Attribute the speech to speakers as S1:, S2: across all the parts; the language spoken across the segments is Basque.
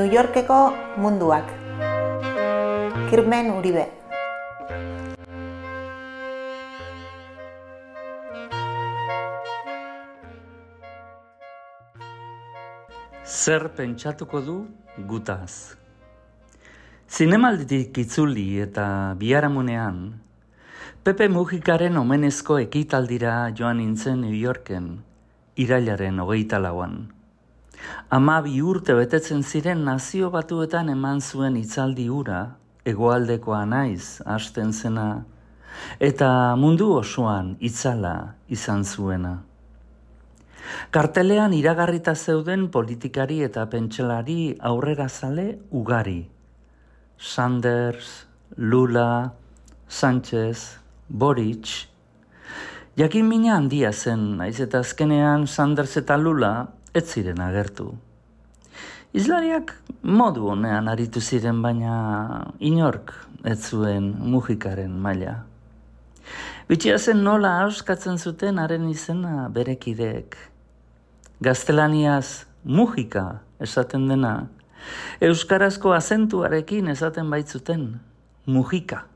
S1: New Yorkeko munduak. Kirmen Uribe.
S2: Zer pentsatuko du gutaz? Zinemalditik itzuli eta biharamunean, Pepe Mujikaren omenezko ekitaldira joan nintzen New Yorken, irailaren 24an. 12 urte betetzen ziren Nazio Batuetan eman zuen hitzaldi hura, hegoaldekoa naiz hasten zena, eta mundu osoan itzala izan zuena. Kartelean iragarrita zeuden politikari eta pentsalari aurrerazale ugari. Sanders, Lula, Sánchez, Boric. Jakin mina handia zen, naiz eta azkenean Sanders eta Lula ez ziren agertu. Hizlariak modu honean aritu ziren, baina inork ez zuen Mujikaren maila. Bitxia zen nola ahoskatzen zuten haren izena berekideek. Gaztelaniaz Mujika esaten dena, euskarazko azentuarekin esaten baitzuten Mujika.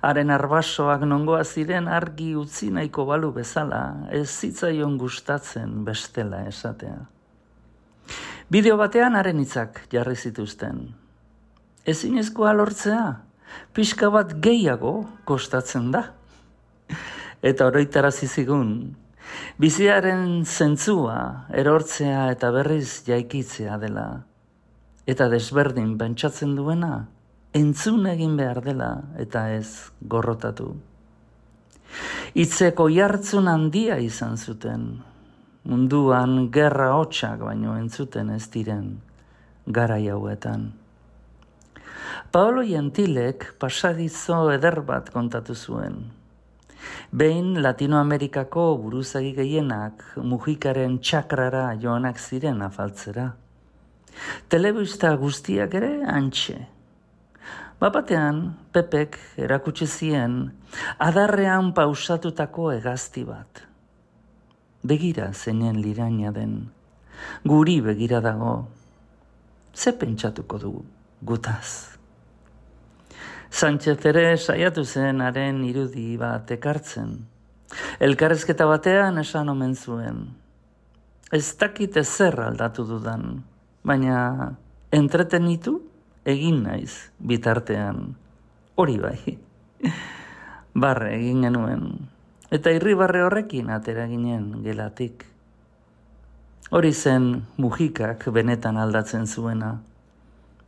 S2: Haren arbasoak nongoa ziren argi utzi nahiko balu bezala, ez zitzaion gustatzen bestela esatea. Bideo batean haren hitzak jarri zituzten. Ezinezkoa lortzea, pixka bat gehiago kostatzen da. Eta oroitarazi zigun, biziaren zentzua erortzea eta berriz jaikitzea dela. Eta desberdin pentsatzen duena, entzun egin behar dela eta ez gorrotatu. Hitzeko jartzun handia izan zuten, munduan gerra hotsak baino entzuten ez diren garai hauetan. Paolo Gentilek pasadizo eder bat kontatu zuen. Behin Latinoamerikako buruzagi gehienak Mujikaren txakrara joanak ziren afaltzera. Telebista guztiak ere hantxe. Bapatean, Pepek erakutsi zien adarrean pausatutako hegazti bat. Begira zeinen liraina den, guri begira dago, ze pentsatuko dugu gutaz. Sánchez ere saiatu zen haren irudi bat ekartzen. Elkarrezketa batean esan omen zuen. Ez dakit ezer aldatu dudan, baina entretenitu egin naiz bitartean. Hori bai. Barre egin genuen. Eta irribarre horrekin atera ginen gelatik. Hori zen Mujikak benetan aldatzen zuena.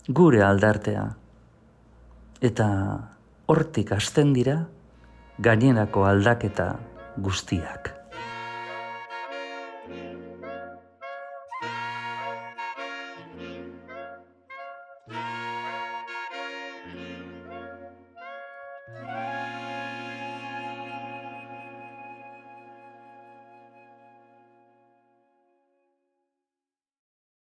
S2: Gure aldartea. Eta hortik hasten dira gainerako aldaketa guztiak.